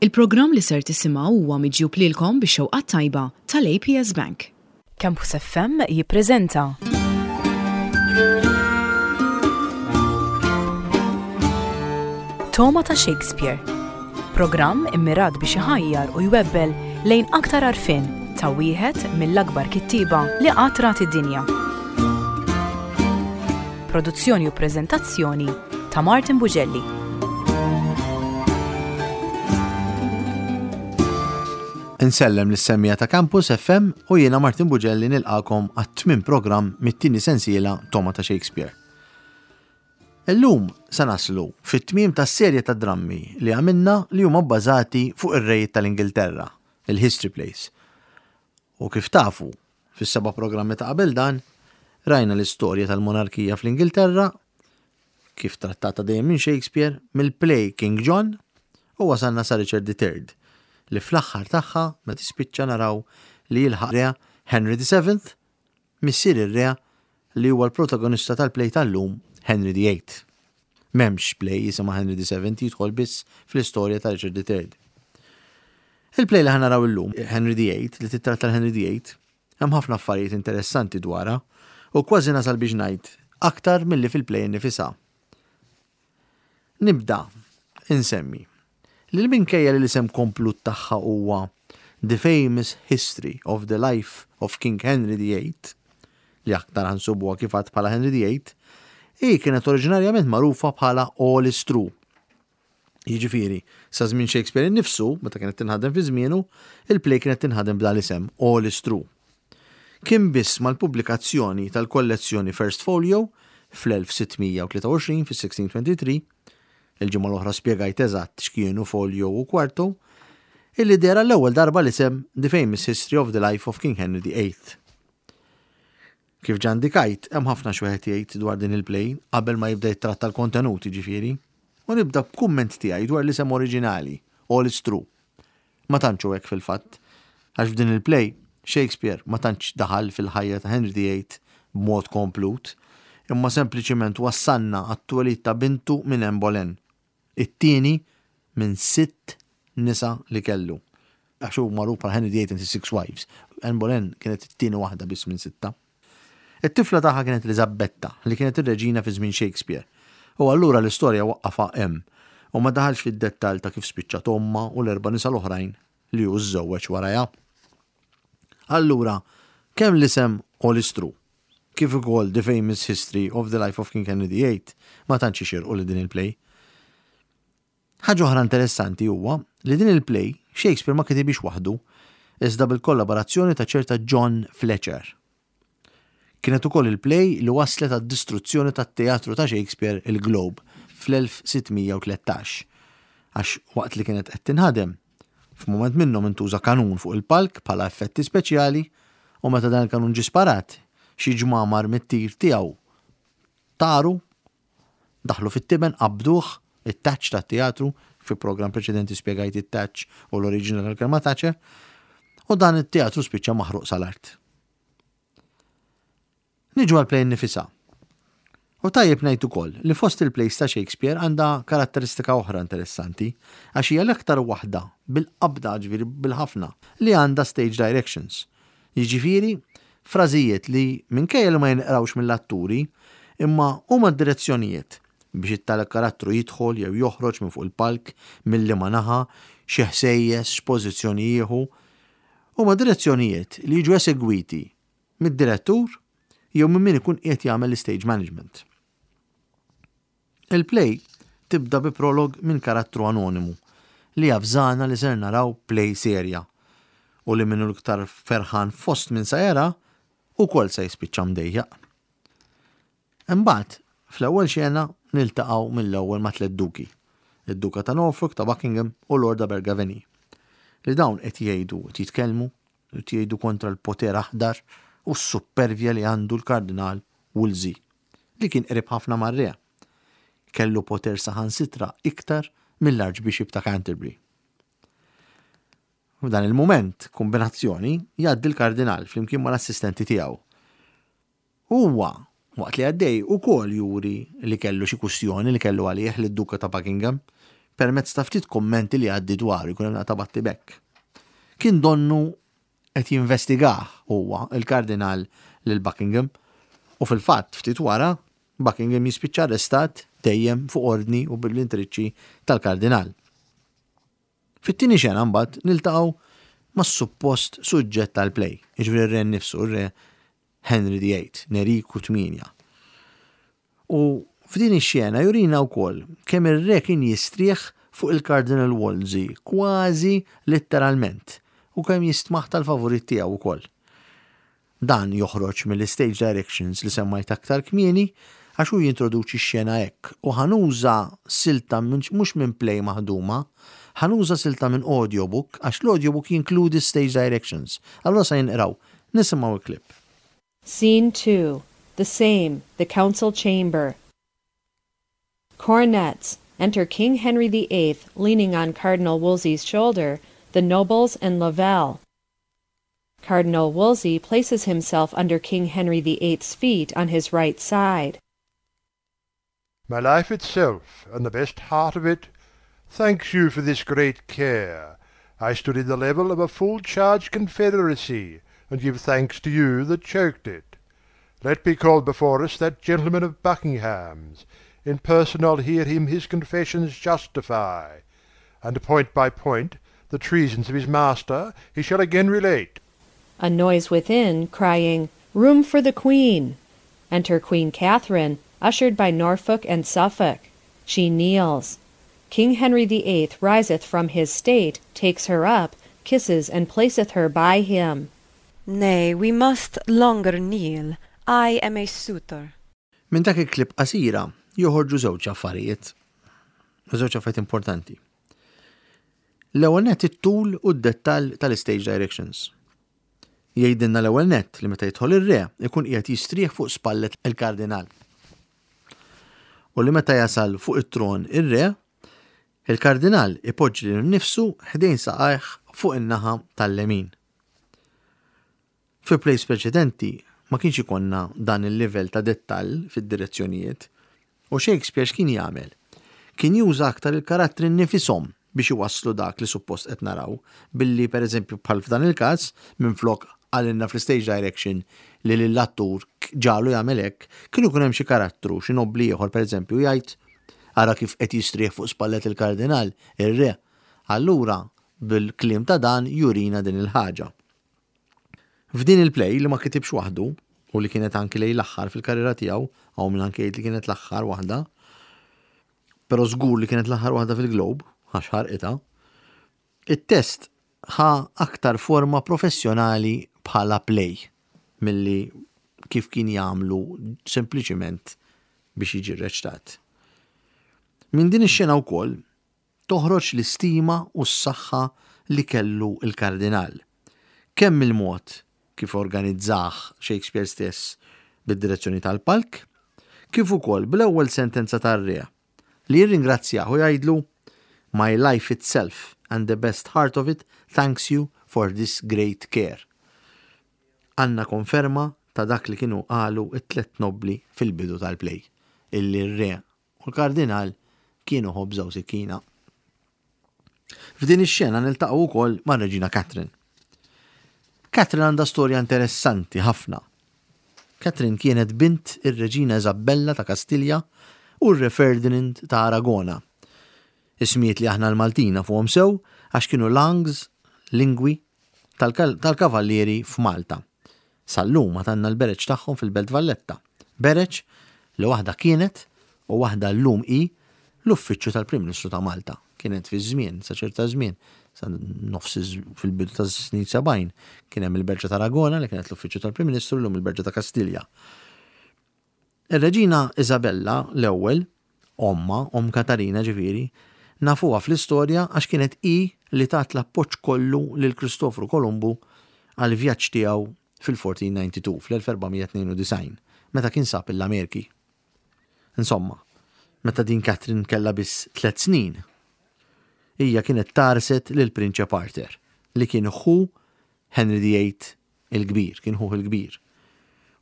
Il-programm li ser tisimgħu huwa miġjub lilkom bix-xewqa t-tajba tal-APS Bank. Campus FM jippreżenta. Toma ta' Shakespeare. Programm immirat biex iħajjar u jwebbel lejn aktar għarfien ta' wieħed mill-akbar kittieba li qatt rat id-dinja. Produzzjoni u preżentazzjoni ta' Martin Bugelli. Insellem lis-semmiegħa ta' Campus FM u jiena Martin Bugelli nilqakom għat-tmien programm mit-tieni sensiela Toma ta' Shakespeare. Illum se naslu fit-tmiem tas-serje ta' drammi li għamilna li huma bbażati fuq ir-rejiet tal-Ingilterra, il-History Plays. U kif tafu, fis-seba' programmi ta' qabel dan, rajna l-istorja tal-monarkija fl-Ingilterra, kif trattata dejjem minn Shakespeare, mill-play King John u wasalna sa Richard III, li fl-aħħar tagħha meta tispiċċa naraw li jilħaq re Henry VII, missier ir-re li huwa l-protagonista tal-play tal-lum Henry VIII. M'hemmx play jisimha Henry VII jidħol biss fl-istorja ta' Richard III. Il-play li ħa naraw illum, Henry VIII, li tittratta l-Henry VIII, hemm ħafna affarijiet interessanti dwarha u kważi nasal biex ngħid aktar milli fil-play innifisha. Nibda insemmi li minkejja li l-isem komplut tagħha huwa The Famous History of the Life of King Henry VIII, li aktar ħa nsibuha kif għadt bħala Henry VIII, hi kienet oriġinarjament magħrufa bħala All is True. Jiġifieri, sa żmien Shakespeare innifsu, meta kienet tinħadem fi żmienu, il-play kienet tinħadem b'dan l-isem, All is True. Kien biss mal-pubblikazzjoni tal-kollezzjoni First Folio fl-1623, fis-1623, il-ġimgħa l-oħra spjegajt eżatt x'kienu folio u quarto, illi deher għall-ewwel darba l-isem The Famous History of the Life of King Henry VIII. Kif ġa indikajt, hemm ħafna x'wieħed jgħid dwar din il-play, qabel ma jibda jittratta l-kontenut, jiġifieri. U nibda b'kumment tiegħi dwar l-isem oriġinali, All is True. Ma tantx hu hekk fil-fatt, għax f'din il-play, Shakespeare ma tantx daħal fil-ħajja ta' Henry VIII b'mod komplut, imma sempliċiment wassalna għat-twelid ta' bintu minn Anne Boleyn. It-tieni minn sitt nisa li kellu. Għax hu magħruf bħala Henry VIII and his six wives. Anne Boleyn kienet it-tieni waħda biss minn sitta. It-tifla tagħha kienet Eliżabetta, li kienet ir-reġina fi żmien Shakespeare. U allura l-istorja waqqafha hemm u ma daħalx fid-dettall ta' kif spiċċat ommha u l-erba' nisa l-oħrajn li hu żżewweġ warajha. Allura, kemm l-isem All is True kif ukoll The Famous History of the Life of King Henry VIII ma tantx ixirqu lil din il-play. Ħaġa oħra interessanti huwa li din il-play Shakespeare ma kitibhiex waħdu, iżda bil-kollaborazzjoni ta' ċerta John Fletcher. Kienet ukoll il-play li wasslet għad-distruzzjoni tat-teatru ta' Shakespeare il-Globe fl-1613, għax waqt li kienet qed tinħadem, f'mument minnhom intuża kanun fuq il-palk bħala effetti speċjali u meta dan il-kanun ġie sparat, xi ġmamar mit-tir tiegħu taru, daħlu fit-tiben, qabduh, it-touch tat-teatru, fi programm preċedenti spjegajt it-touch u l-oriġini tal-kelma toucher, u dan it-teatru spiċċa maħruq sal-art. Niġu għall-play innifisha. U tajjeb ngħid ukoll li fost il-plays ta' Shakespeare għandha karatteristika oħra interessanti, għax hija l-aktar waħda bil-qabda, ġifieri bil-ħafna, li għandha stage directions. Jiġifieri, frażijiet li minkejja li ma jinqrawx mill-atturi, imma huma direzzjonijiet biex it-tali karattru jidħol jew joħroġ minn fuq il-palk, minn liema naħa, xi ħsejjes, x'pożizzjoni jieħu. Huma direzzjonijiet li jiġu esegwiti mid-direttur jew minn min ikun qiegħed jagħmel l-istage management. Il-play tibda bi prolog minn karattru anonimu li javżana li ser naraw play serja u li min hu l-iktar ferħan fost min sa jara ukoll se jispiċċa mdejjaq. Imbagħad, fl-ewwel xena niltaqgħu mill-ewwel ma' tlett duki, id-Duka ta' Norfolk, ta' Buckingham u Lord Abergavenny, li dawn qed jgħidu, qed jitkellmu, qed jgħidu kontra l-poter aħdar u s-suppervja li għandu l-Kardinal Wolsey, li kien qrib ħafna mar-re. Kellu poter saħansitra iktar mill-Archbishop ta' Canterbury. F'dan il-mument, kumbinazzjoni, jgħaddi l-Kardinal flimkien mal-assistenti tiegħu. Huwa, waqt li għaddej, ukoll juri li kellu xi kwistjoni li kellu għalih lid-Duka ta' Buckingham. permezz ta' ftit kummenti li jgħaddi dwaru, jkun hemm naqta' battibekk. Kien donnu qed jinvestigah huwa, il-Kardinal lil Buckingham u fil-fatt ftit wara Buckingham jispiċċa arrestat dejjem fuq ordni u bil-intriċċi tal-Kardinal. Fit-tieni xena mbagħad niltaqgħu mas-suppost suġġett tal-play, jiġifieri r-re nnifsu, ir-re Henry VIII, Neriku Tmienja. U f'din ix-xena jurina wkoll kemm ir-re kien jistrieħ fuq il-Cardinal Wolsey kważi litteralment u kemm jistmah tal-favorit tiegħu wkoll. Dan joħroġ mill-istage directions li semmajt aktar kmieni għax hu jintroduċi x-xena hekk u ħa nuża silta minn mhux minn play maħduma, ħa nuża silta minn audiobook għax l-audiobook jinkludi stage directions. Allura sa jinqraw. Nisimgħu l-clip. Scene 2. The same. The Council Chamber. Cornets. Enter King Henry the Eighth leaning on Cardinal Wolsey's shoulder, the nobles and Lavelle. Cardinal Wolsey places himself under King Henry the Eighth's feet on his right side. My life itself, and the best heart of it, Thanks you for this great care. I stood in the level of a full-charged confederacy, And give thanks to you that choked it. Let be called before us that gentleman of Buckingham's, In person I'll hear him his confessions justify, And point by point the treasons of his master he shall again relate. A noise within, crying, Room for the Queen! Enter Queen Katharine, ushered by Norfolk and Suffolk. She kneels. King Henry the Eighth riseth from his state, takes her up, kisses and placeth her by him. Nay, we must longer kneel, I am a suitor. Minn dak il-clip qasira joħorġu żewġ affarijiet. Żewġ affarijiet importanti. L-ewwel nett it-tul u d-dettall tal-istage directions. Jgħidilna l-ewwel nett li meta jidħol ir-re ikun qiegħed jistrieħ fuq spallet il-kardinal. U li meta jasal fuq it-tron ir-re, il-kardinal ipoġġi lilu nnifsu ħdejn saqajh fuq in-naħa tal-lemin. Fi plays preċedenti ma kienx ikollna dan il-livell ta' dettall fid-direzzjonijiet. U Shakespeare x'kien jagħmel? Kien juża aktar il-karattri nnifishom biex iwasslu dak li suppost qed naraw, billi pereżempju bħal f'dan il-każ, minflok qalilna fl-istage direction li lill-attur ġagħlu jagħmel hekk, kien ikun hemm xi karattru, xi nobbli ieħor pereżempju, jgħid, Ara kif qed jistrieħ fuq spallet il-kardinal, ir-re. Allura, bil-kliem ta' dan jurina din il-ħaġa. F'din il-play li ma kitibx waħdu u li kienet anki lejn l-aħħar fil-karriera tiegħu, hawn min anki jgħid li kienet l-aħħar waħda, però żgur li kienet l-aħħar waħda fil-Globe, għax ħarqitha, it-test ħa aktar forma professjonali bħala play milli kif kien jagħmlu sempliċiment biex jiġi rreċtat. Minn din ix-xena wkoll toħroġ l-istima u s-saħħa li kellu l-Kardinal, kemm mill-mod kif organizzah Shakespeare stess bid-direzzjoni tal-palk, kif ukoll bl-ewwel sentenza tar-re, li jirringrazzjah u jgħidlu, My life itself and the best heart of it thanks you for this great care. Għandna konferma ta' dak li kienu qalu t-tlett nobbli fil-bidu tal-play, illi r-re u l-Kardinal kienu ħobża u sikkina. F'din ix-xena niltaqgħu wkoll mar-Reġina Catherine. Catherine għandha storja interessanti ħafna. Catherine kienet bint ir-Reġina Isabella ta' Kastilja u r-Re Ferdinand ta' Aragona. Ismijiet li aħna l-Maltin nafuhom sew għax kienu langs, lingwi, tal-kavallieri f'Malta. Sal-lum għad għandna l-bereġ tagħhom fil-Belt Valletta. Bereġ li waħda kienet u waħda llum hi l-uffiċċju tal-Prim Ministru ta' Malta. Kienet fi żmien, sa ċerta żmien, sa nofs fil-bidu tas-snin 70, kien hemm il-Berġa ta' Aragona li kienet l-uffiċċju tal-Prim Ministru llum il-Berġa ta' Kastilja. Ir-Reġina Isabella l-ewwel, ommha, omm Katarina ġifieri, nafuha fl-istorja għax kienet hi li tat l-appoġġ kollu lil Kristofru Kolumbu għall-vjaġġ tiegħu fil-1492, fl-1492, meta kien sab l-Amerki. Insomma, meta din Catherine kellha biss tlett snin, hija kienet tgħarrset lill-Prinċep Arthur, li kien ħu Henry the Eighth il-Kbir, kien ħuh il-kbir,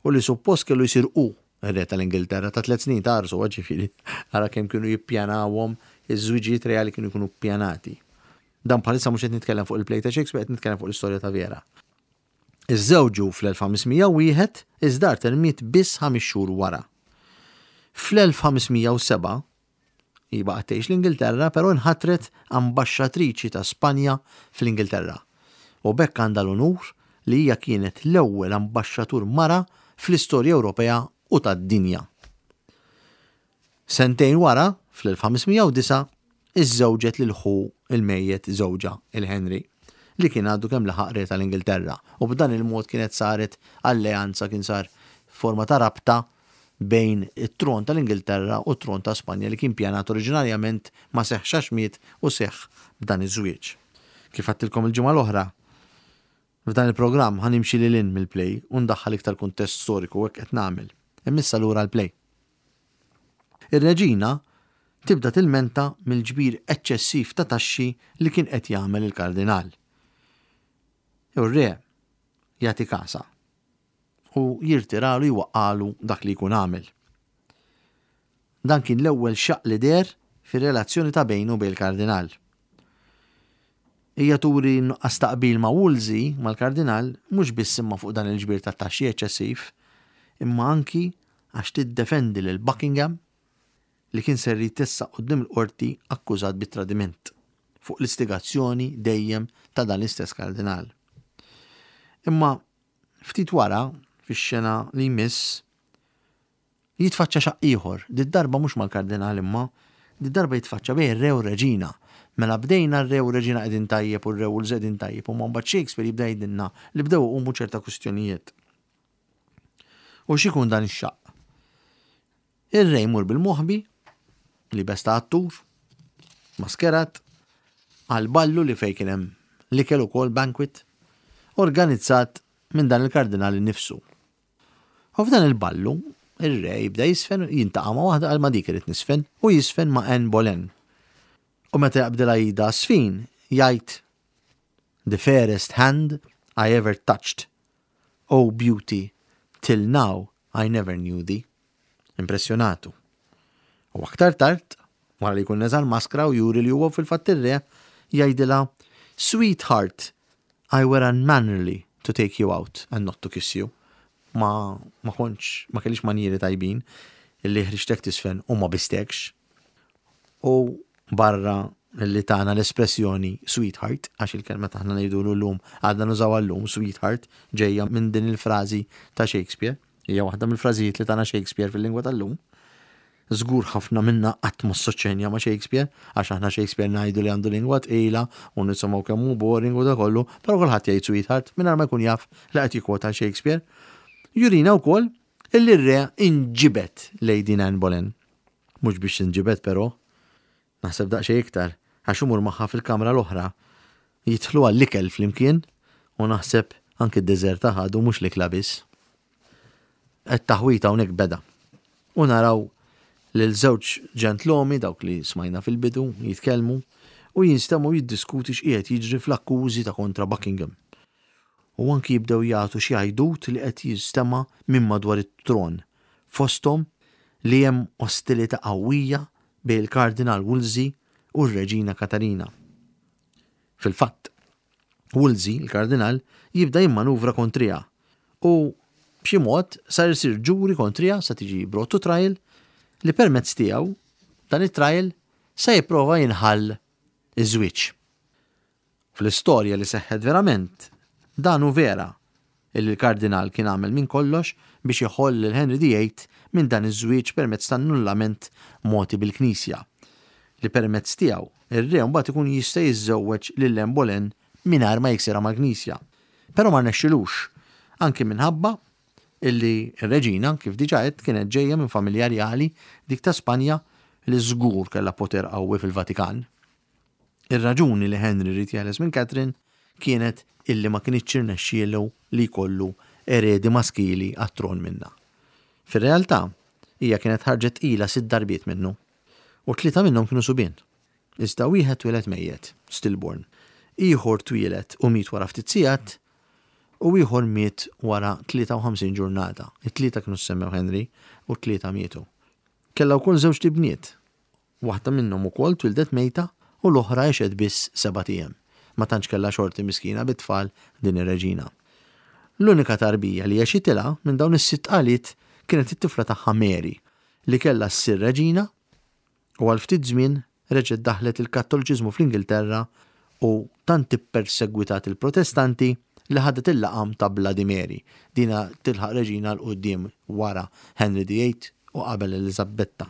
u li suppost kellu jsir hu r-re tal-Ingilterra ta' tlett snin ta' għarsu, ġifieri, ara kemm kienu jippjanawhom iż-żwiġijiet reali kienu jkunu ppjanati. Dan bħalissa mhux qed nitkellem fuq il-play ta' Shakespeare, qed nitkellem fuq l-istorja ta' vera. Iżżewġu fl-1501, iżda Arthur miet biss ħames xhur wara. Fl-1507, hi baqgħet tgħix l-Ingilterra, però nħatret ambaxxatriċi ta' Spanja fl-Ingilterra. U b'hekk għandha l-unur li hija kienet l-ewwel ambaxxatur mara fl-istorja Ewropea u tad-dinja. Sentejn wara, fl-1509, iżżewġet lil ħu l-mejjet żewġha, il-Henry, li kien għadu kemm laħaq re tal-Ingilterra, u b'dan il-mod kienet saret alleanza, kien sar forma ta' rabta bejn it-tron tal-Ingilterra u t-tron ta' Spanja li kien pjanat oriġinarjament ma seħħx għax miet u seħħ b'dan iż-żwieġ. Kif għedtilkom il-ġimgħa l-oħra, f'dan il-programm ħa nimxi lil hinn mill-play u ndaħħal iktar kuntest storiku u hekk qed nagħmel. Imma issa lura għall-play. Ir-reġina tibda tilmenta mill-ġbir eċċessiv ta' taxxi li kien qed jagħmel il-kardinal. U r-re jagħti kasha u jirtiralu jwaqqagħlu dak li jkun għamel. Dan kien l-ewwel xaqq li deher fir-relazzjoni ta' bejnu u bejn il-kardinal. Hija turi n-nuqqas ta' qbil ma' Wolsey, mal-kardinal, mhux biss imma fuq dan il-ġbir ta' taxxi eċċessiv, imma anki għax tiddefendi lil Buckingham li kien ser jitessaq quddiem il-qorti akkużat bi tradiment, fuq l-istigazzjoni dejjem ta' dan l-istess kardinal. Imma ftit wara, fix-xena li jmiss, Jitfaċċa xaqq ieħor, did-darba mhux mal-Kardinal imma, did-darba jitfaċċa bejn ir-Re u r-Reġina. Mela bdejna r-Re u r-Reġina qegħdin tajjeb u r-Re u l qegħdin tajjeb imma mbagħad Shakespeare jibda jgħidilna li bdew iqumu ċerta kwistjonijiet. U x'ikun dan ix-xaqq? Ir-Re jmur bil-moħbi, libes ta' attur, maskerat, għal ballu li fejn kien hemm l-ikel ukoll banquet, organizzat minn dan il-Kardinal innifsu. U f'dan il-ballu, ir-re jibda jiżfen, jintaqa' ma' waħda qal ma' dik irrid niżfen, u jiżfen ma' Anne Boleyn. U meta jaqbdilha idha għas-sfin, jgħid, The fairest hand I ever touched, O beauty, till now I never knew thee. Impressjonatu. U aktar tard, wara li jkun neża' l-maskra u juri li huwa fil-fatt ir-re, jgħidilha, Sweetheart, I were unmannerly to take you out and not to kiss you. Ma, ma kontx, ma kellix manjieri tajbin illi ħriġtek tiżfen u ma bistekx. U barra li tana l-espressjoni sweetheart, għax il-kelma taħna ngħidulu llum għadna nużawha llum, sweetheart, ġejja minn din il-frażi ta' Shakespeare. Hija waħda mill-frażijiet li tana Shakespeare fil-lingwa tal-lum. Żgur ħafna minna qatt ma assoċjajna ma' Shakespeare, għax aħna Shakespeare ngħidu li għandu lingwa tqila u nisimgħu kemm hu boring u da kollu, però kulħadd jgħid sweetheart mingħajr ma jkun jaf li qed jikkwota Shakespeare. Jurina wkoll illi r-re inġibed lejn din Anne Boleyn. Mhux biex inġibed però, Naħseb daqsxejn iktar, għax imur magħha fil-kamra l-oħra. Jidħlu għall-ikel flimkien u naħseb anki d-deżerta ħadu mhux l-ikla biss. It-taħwid hawnhekk beda. U naraw lil żewġ ġentlomi, dawk li smajna fil-bidu, jitkellmu u jinstemgħu jiddiskuti x'qiegħed jiġri fl-akkużi ta' kontra Buckingham. U anki jibdew jagħtu xi għajdut li qed jinstema' minn madwar it-tron, fosthom li hemm ostilità qawwija bejn il-Kardinal Wolsey u r-Reġina Katarina. Fil-fatt, Wolsey, il-Kardinal, jibda jimmanuvra kontriha u b'xi mod sar isir ġuri kontriha sa tiġi brought to trial li permezz tiegħu dan it-trial se jipprova jinħall iż-żwieġ. Fl-istorja li seħħet verament, dan hu vera, illi l-Kardinal kien għamel minn kollox biex iħoll lil Henry the Eighth minn dan iż-żwieġ permezz ta' annullament mogħti bil-Knisja, li permezz tiegħu r-re mbagħad ikun jista' jiżżewweġ lil Anne Boleyn mingħajr ma jiksirha mal-Knisja. Però ma rnexxilux, anki minħabba illi r-reġina, kif diġà għedt, kienet ġejja minn familja rjali, dik ta' Spanja, li żgur kellha poter qawwi fil-Vatikan. Ir-raġuni li Henry ried jeħles minn Catherine kienet illi ma kinitx irnexxielu li jkollu eredi maskili għat-tron minnha. Fir-realtà, hija kienet ħarġet tqila sitt darbiet minnu, u tlieta minnhom kienu subien. Iżda wieħed twieled mejjet, stillborn, ieħor twieled u miet wara ftit sigħat, u ieħor miet wara 53 ġurnata. It-tlieta kienu ssemmew Henry u t-tlieta mietu. Kellha wkoll żewġt ibniet. Waħda minnhom ukoll twieldet mejta u l-oħra għexet biss sebat ijiem. Ma tantx kellha xorti miskina bit-tfal din ir-reġina. L-unika tarbija li għexitilha minn dawn is-sitt tqaliet kienet it-tifla tagħha Mary li kellha ssir reġina u għal ftit żmien reġgħet daħħlet il-Kattoliċiżmu fl-Ingilterra u tant ippersegwitat il-Protestanti li ħadet il-laqam ta' Bloody Mary. Dina tilħaq reġina 'l quddiem wara Henry the Eighth u qabel Eliżabetta.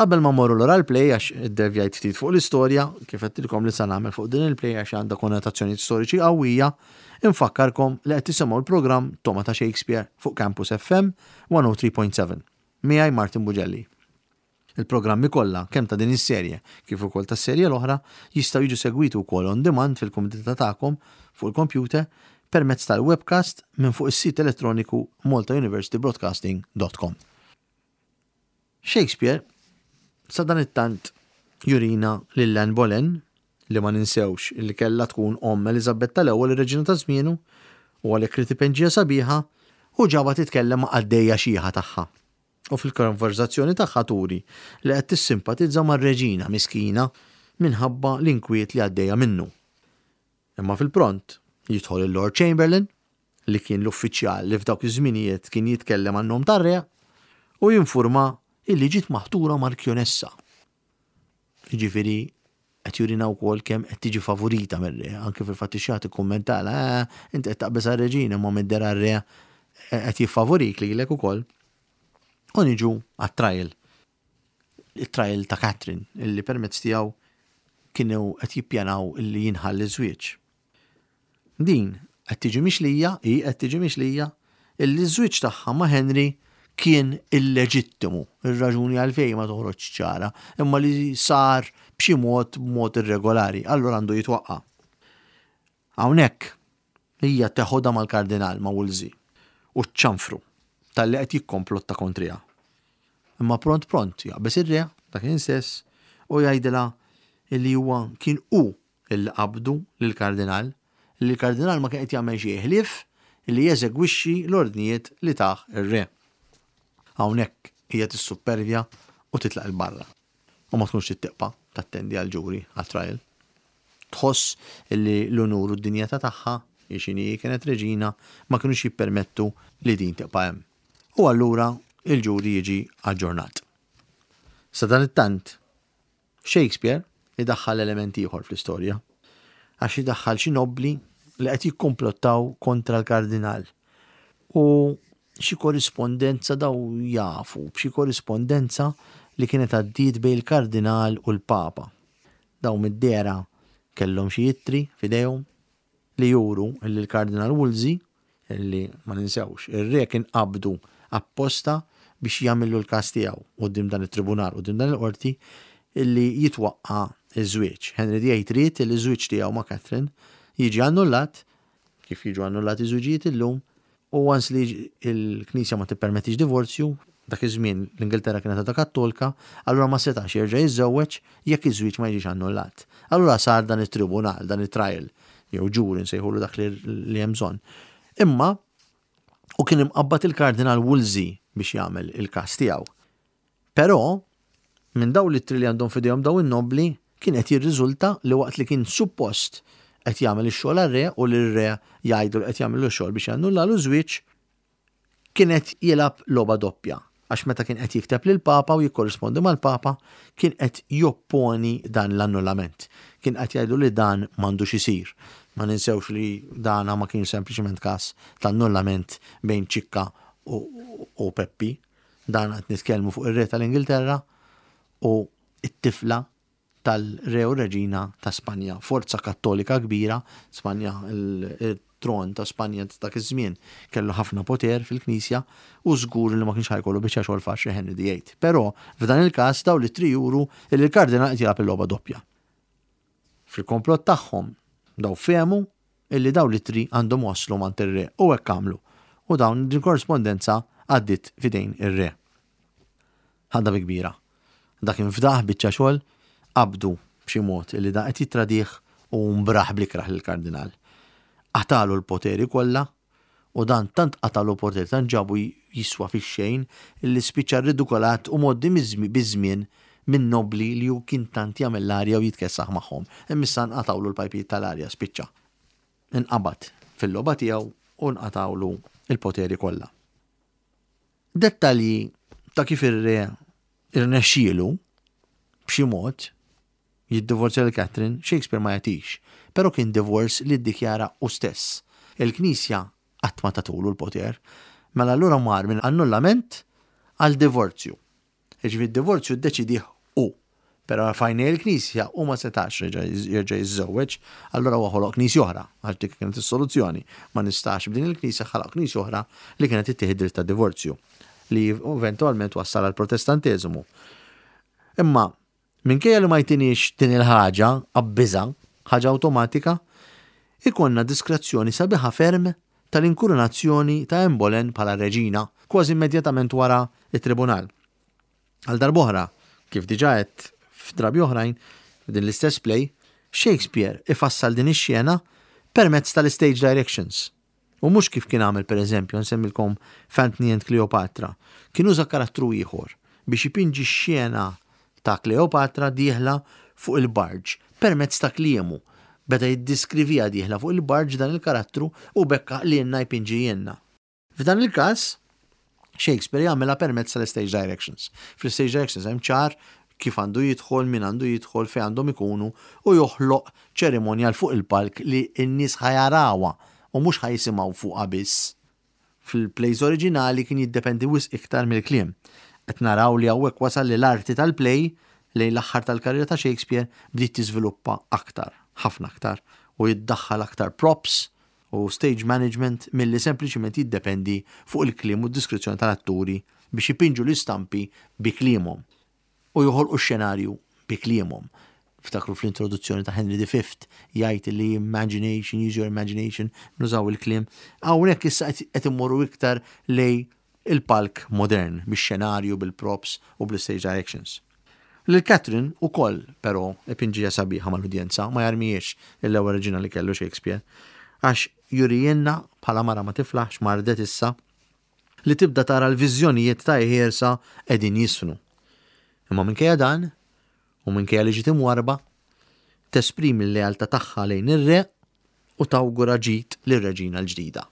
Qabel ma mmorru lura l-play għax iddevjajt ftit fuq l-istorja, kif għedtilkom li sa nagħmel fuq din il-play għax għandha konnotazzjonijiet storiċi qawwija, infakkarkom li qed tisimgħu l-programm Toma ta' Shakespeare fuq Campus FM 103.7. Miegħi Martin Bugelli. Il-programmi kollha, kemm ta' din is-serje kif ukoll tas-serje l-oħra, jistgħu jiġu segwiti wkoll on demand fil-kumdità tagħkom fuq il-kompjuter permezz tal-webcast minn fuq is-sit elettroniku maltauniversitybroadcasting.com. Shakespeare sadanittant jurina lil Anne Boleyn, li ma ninsewx li kellha tkun omm Eliżabetta l-Ewwel ir-reġina ta' żmienu, u għalhekk ried ipenġiha sabiħa, u ġabha titkellem ma' qaddejja xiħa tagħha. U fil-konverżazzjoni tagħha turi li qed tissimpatizza mar-reġina miskina minħabba l-inkwiet li għaddejja minnu. Imma fil-pront jidħol il-Lord Chamberlain, li kien l-uffiċjal li f'dawk iż-żminijiet kien jitkellem għan-nom tar-re, u jinfurma illi ġiet maħtura markjonessa. Jiġifieri qed jurina wkoll kemm qed tiġi favorita mir-re, anke fil-fatt ix-xaħat ikkummentala, eh, inti qed taqbeż għar-reġina imma mid-dehra r-re qed jiffavorik lilek ukoll. U niġu għat-trial. It-trial ta' Catherine, illi permezz tiegħu kienu qed jippjanaw illi jinħall iż-żwieġ. Din qed tiġi mixlija, hi qed tiġi mixlija, illi ż-żwieġ tagħha ma' Henry kien illeġittimu. Ir-raġuni għalfejn ma toħroġx ċara, imma li sar b'xi mod b'mod irregolari, allura għandu jitwaqqa'. Hawnhekk hija teħodha mal-Kardinal, ma' Wolsey, u ċċanfru talli qed jikkomplotta kontriha. Imma pront pront jaqbeż ir-re, dakinhar stess, u jgħidilha illi huwa kien hu illi qabdu lill-Kardinal, illi l-Kardinal ma kien qed jagħmel xejn ħlief illi jeżegwixxi l-ordnijiet li tah ir-Re. Hawnhekk hija tissuppervja u titlaq 'il barra u ma tkunx trid tibqa' tattendi għall-ġuri, għat-trial. Tħoss illi l-unur u d-dinjità tagħha, hi x'inhi hi kienet reġina, ma kinux jippermettu li din tibqa' hemm. U allura l-ġuri jiġi aġġornat. Sadanittant, Shakespeare idaħħal element ieħor fl-istorja, għax idaħħal xi nobbli li qed jikkumplottaw kontra l-kardinal. U xi korrispondenza daw jafu b'xi korrispondenza li kienet għaddiet bejn il-kardinal u l-papa. Daw mid-dehra kellhom xi ittri f'idejhom li juru li l-Kardinal Wolsey, li ma ninsewx, ir-re kien qabdu apposta biex jagħmillu l-każ tiegħu quddiem dan it-tribunal, quddiem dan il-qorti, li jitwaqqa' ż-żwieġ. Henry the Eighth ried li ż-żwieġ tiegħu ma' Catherine jiġi annullat, kif jiġu annullati żwiġijiet illum, U once li l-Knisja ma tippermettix divorzju, dak iż-żmien l-Ingilterra kienet għadha Kattolka, allura ma setax jerġa' jiżżewweġ jekk iż-żwieġ ma jiġix annullat. Allura sar dan it-tribunal, dan it-trial, jew ġuri nsejħulu dak li hemm bżonn. Imma u kien imqabbad il-Kardinal Wolsey biex jagħmel il-każ tiegħu. Però, minn dawn l-ittri li għandhom f'idejhom dawn in-nobbli, kien qed jirriżulta li waqt li kien suppost qed jagħmel ix-xogħol għar-re u li r-re jgħidlu li qed jagħmillu x-xogħol biex jannullalu ż-żwieġ, kien qed jilgħab logħba doppja għax meta kien qed jikteb lill-Papa u jikkorrispondi mal-Papa kien qed jopponi dan l-annullament. Kien qed jgħidlu li dan m'għandux isir. Ma ninsewx li dana ma kienx sempliċement każ ta' annullament bejn Ċikka u Peppi. Dan qed nitkellmu fuq ir-Re tal-Ingilterra u t-tifla tal-Re u Reġina ta' Spanja. Forza Kattolika kbira, Spanja il-tron ta' Spanja ta' dak iż-żmien kellu ħafna poter fil-Knisja u żgur li ma kienx ħa jkollu biċċa xogħol faċli Henry the Eighth. Però f'dan il-każ dawn l-ittri juru li l-Kardinal qed jilgħab il-logħba doppja. Fil-komplott tagħhom daw fehmu illi dawn l-ittri għandhom waslu m'għand ir-re u hekk għamlu u dawn din korrispondenza għaddiet f'idejn ir-re. Ħadha bi kbira. Dak infdaħ biċċa xogħol, qabdu b'xi mod illi dan qed jittradih u mbraħ bl-ikrah lill-kardinal. Qatagħlu l-poteri kollha. U dan tant qatagħlu poter, tant ġabu jiswa fix-xejn, li spiċċa rridukolat u mgħoddi biż-żmien min-nobbli li hu kien tant jagħmel l-arja u jitkessaħ magħhom. Imma issa nqatgħulu l-pajpijiet tal-arja, spiċċa. Inqabad fil-logħba tiegħu u nqatgħulu l-poteri kollha. Dettalji ta' kif ir-re irnexxielu b'xi mod jiddivorzja lil Catherine, Shakespeare ma jagħtix, però kien divorce li ddikjara hu stess. Il-Knisja qatt ma tatulu l-poter. Mela allura mar minn annullament għal divorzju. Jiġifieri d-divorzju ddeċidieh hu. Però f'għajnejn il-Knisja hu ma setax jerġa' jiżżewweġ, allura huwa ħoloq Knisja oħra, għax dik kienet is-soluzzjoni. Ma nistax b'din il-Knisja ħalaq Knisja oħra li kienet ittih id-dritt tad-divorzju, li eventwalment wassal għall-Protestanteżimu. Imma Minkejja li ma jtiniex din il-ħaġa, qabbiżha, ħaġa awtomatika, ikollna diskrezzjoni sabiħa ferm tal-inkurunazzjoni ta' Anne Boleyn bħala reġina, kważi immedjatament wara t-tribunal. Għal darb'oħra, kif diġà għedt f'drabi oħrajn, f'din l-istess play, Shakespeare ifassal din ix-xena permezz tal-istage directions. U mhux kif kien għamel pereżempju, nsemmilkom f'Antony and Cleopatra, kien uża karattru ieħor biex ipinġi x-xena ta' Cleopatra dieħla fuq il-barge permezz ta' kliemu. Beda jiddeskriviha dieħla fuq il-barge dan il-karattru u b'hekk għaqlielna jpinġihielna. F'dan il-każ, Shakespeare jagħmilha permezz tal-istage directions. Fl-istage directions hemm ċar kif għandu jidħol, min għandu jidħol, fejn għandhom ikunu u joħloq ċerimonjal fuq il-palk li n-nies ħa jarawha u mhux ħa jisimgħu fuqha biss. Fil-plays oriġinali kien jiddependi wisq iktar mill-kliem. Qed naraw li hawnhekk wasal li l-arti tal-play lejn l-aħħar tal-karriera ta' Shakespeare bdiet tiżviluppa aktar, ħafna aktar, u jiddaħħal aktar props u stage management milli sempliċiment jiddependi fuq il-kliem u d-diskrizzjoni tal-atturi biex ipinġu l-istampi bi kliemhom u joħolqu x-xenarju bi kliemhom. Ftakru fl-introduzzjoni ta' Henry V jgħid li imagination, use your imagination, nużaw il-kliem. Hawnhekk issa qed immorru iktar lej il-palk modern, bix-xenarju, bil-props u bl-istage directions. Lil Catherine ukoll, però, ipinġiha sabiħa mal-udjenza, ma jarmihiex l-ewwel reġina li kellu Shakespeare, għax jurihielna bħala mara ma tiflaħx, mardet issa, li tibda tara l-viżjonijiet ta' ħiersa qegħdin jiżfnu. Imma minkejja dan, u minkejja li ġiet imwarrba, tesprimi l-lealtà tagħha lejn ir-re u tawgura ġid lir-reġina l-ġdida.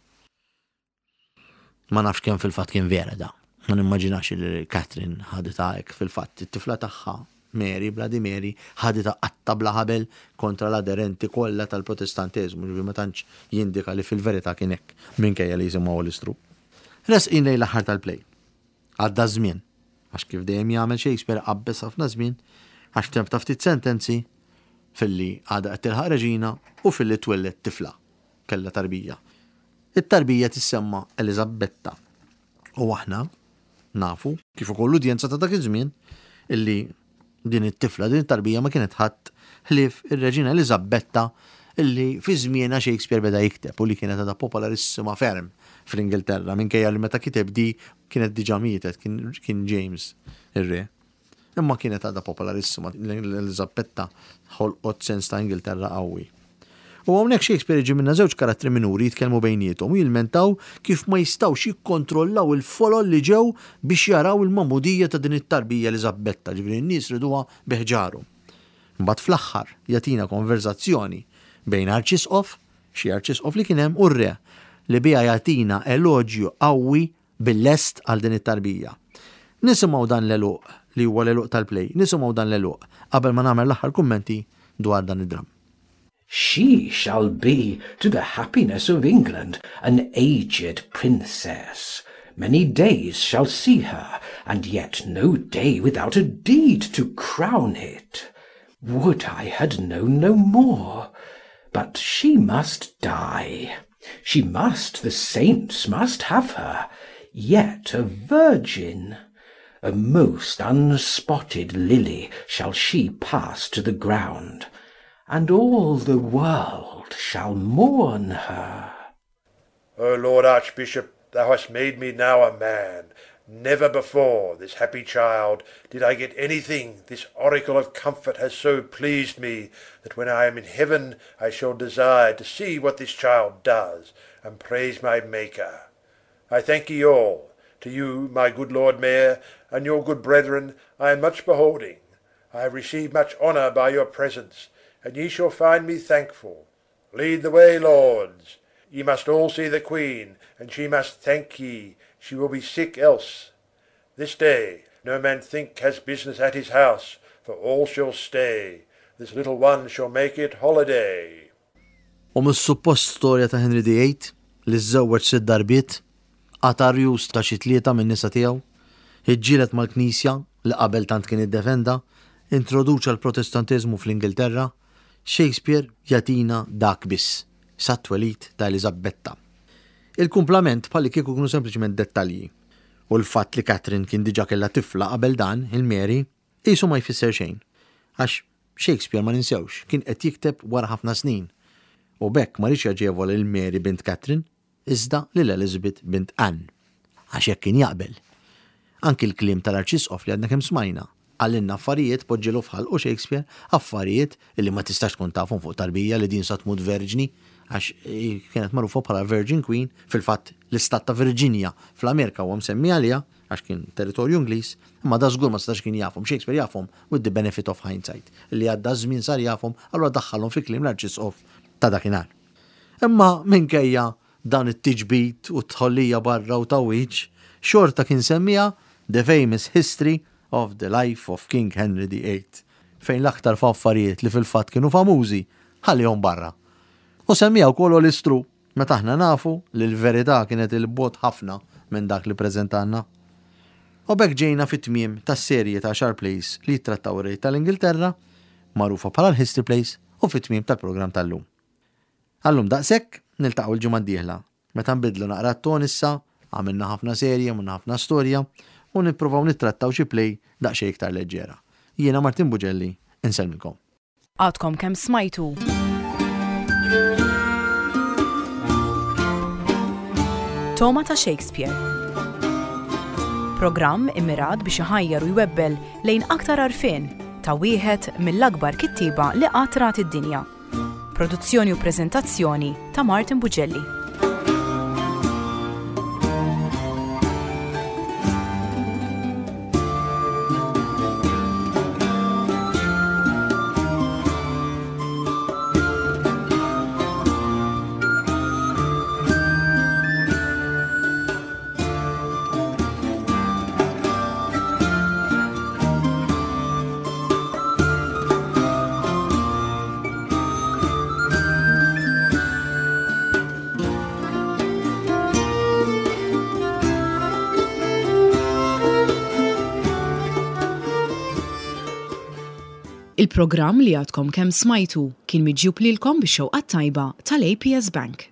Ma nafx kemm fil-fatt kien vera da. Ma nimmaġinax li Catherine ħaditha hekk fil-fatt. It-tifla tagħha, Mary, Bloody Mary, ħaditha qatta bla ħabel kontra l-aderenti kollha tal-Protestanteżmu, ġifieri ma tantx jindika li fil-verità kien hekk, minkejja li jisimha Olistru. Resqin lejn l-aħħar tal-play. Għadda ż-żmien, għax kif dejjem jagħmel Shakespeare qabbeż ħafna żmien, għax f'temp ta' ftit sentenzi, filli għadha qed tilħaq reġina u filli twelled tifla, kellha tarbija. It-tarbija tissemma Eliżabetta u aħna nafu, kif ukoll l-udjenza ta' dak iż-żmien, illi din it-tifla, din it-tarbija ma kienet ħadd ħlief ir-Reġina Eliżabetta illi fi żmienha Shakespeare beda jikteb u li kienet għadha popolarissima ferm fl-Ingilterra minkejja li meta kiteb di kienet diġà mietet, kien James ir-re. Imma kienet għadha popolarissima, l-Eliżabetta ħolqot sens ta' Ingilterra qawwi. U hawnhekk Shakespeare iġib minna żewġ karattri minuri jitkellmu bejniethom u jilmentaw kif ma jistgħux jikkontrollaw il-folol li ġew biex jaraw il-magħmudija ta' din it-tarbija Eliżabetta, ġifieri n-nies riduha bi ħġarhom. Imbagħad fl-aħħar jagħtina konverżazzjoni bejn arċisqof, xi arċisqof li kien hemm, u r-re, li biha jagħtina eloġju qawwi bil-lest għal din it-tarbija. Nisimgħu dan l-għeluq, li huwa l-għeluq tal-play, nisimgħu dan l-għeluq qabel ma nagħmel l-aħħar kummenti dwar dan id-dramm. She shall be, to the happiness of England, an aged princess. Many days shall see her, and yet no day without a deed to crown it. Would I had known no more! But she must die. She must, the saints must have her, yet a virgin. A most unspotted lily shall she pass to the ground, and all the world shall mourn her. O Lord Archbishop, thou hast made me now a man. Never before, this happy child, did I get anything this oracle of comfort has so pleased me, that when I am in heaven I shall desire to see what this child does, and praise my Maker. I thank ye all. To you, my good Lord Mayor, and your good brethren, I am much beholding. I have received much honour by your presence, and ye shall find me thankful. Lead the way, lords. Ye must all see the Queen, and she must thank ye, she will be sick else. This day no man think has business at his house, for all shall stay. This little one shall make it holiday. U mis-suppost storja ta' Henry VIII, li żżewweġ sitt darbiet, qata' rjus ta' xi tlieta min-nisa tiegħu, iġġieled mal-Knisja li qabel tant kien iddefenda, introduċa l-Protestanteżmu fl-Ingilterra, Shakespeare jagħtina dak biss, sat-twelid ta' Eliżabetta. Il-kumplament bħallikieku kienu sempliċement dettalji. U l-fatt li Catherine kien diġà kellha tifla qabel dan, il-Mary, qisu ma jfisser xejn. Għax Shakespeare ma ninsewx, kien qed jikteb wara ħafna snin. U b'hekk ma riedx jaġevola lil Mary bint Catherine, iżda lil Elizabeth bint Anne. Għax hekk kien jaqbel. Anki l-kliem tal-Arċisqof li għadna kemm smajna, qalilna affarijiet, poġġielu f'ħalqu Shakespeare, affarijiet li ma tistax tkun tafhom fuq tarbija li din sa tmut verġni, għax kienet magħrufa bħala Virgin Queen, fil-fatt l-istat ta' Virginia fl-Amerika huwa msemmi għaliha, għax kien territorju Ingliż, imma da żgur ma setax kien jafhom, Shakespeare jafhom with the benefit of hindsight, li għadda ż-żmien sar jafhom, allura daħħalhom fi kliem l-Arċisqof ta' dakinhar. Imma minkejja dan it-tiġbid u t-tħollija barra u tgħawwiġ, xorta kien semmiha The Famous History of the Life of King Henry the Eighth, fejn l-aktar affarijiet li fil-fatt kienu famużi ħallihom barra. U semmiha wkoll All is True, meta aħna nafu li l-verità kienet 'il bogħod ħafna minn dak li ppreżentalna. U b'hekk ġejna fit-tmiem tas-serje ta' għaxar plays li jittrattaw ir-Re tal-Ingilterra, magħrufa bħala l-History Plays, u fit-tmiem tal-programm tal-lum. Għal-lum daqshekk, niltaqgħu l-ġimgħa d-dieħla, meta nbiddlu naqra t-ton issa, għamilna ħafna serje, għamilna ħafna storja, u nipprovaw nittrattaw xi play daqsxejn iktar leġġera. Jiena Martin Bugelli, insellmilkom. Għadkom kemm smajtu. Toma ta' Shakespeare. Programm immirat biex iħajjar u jwebbel lejn aktar għarfien ta' wieħed mill-akbar kittieba li qatt rat id-dinja. Produzzjoni u preżentazzjoni ta' Martin Bugelli. Il-programm li għadkom kemm smajtu kien miġjub lilkom bix-xewqa t-tajba tal-APS Bank.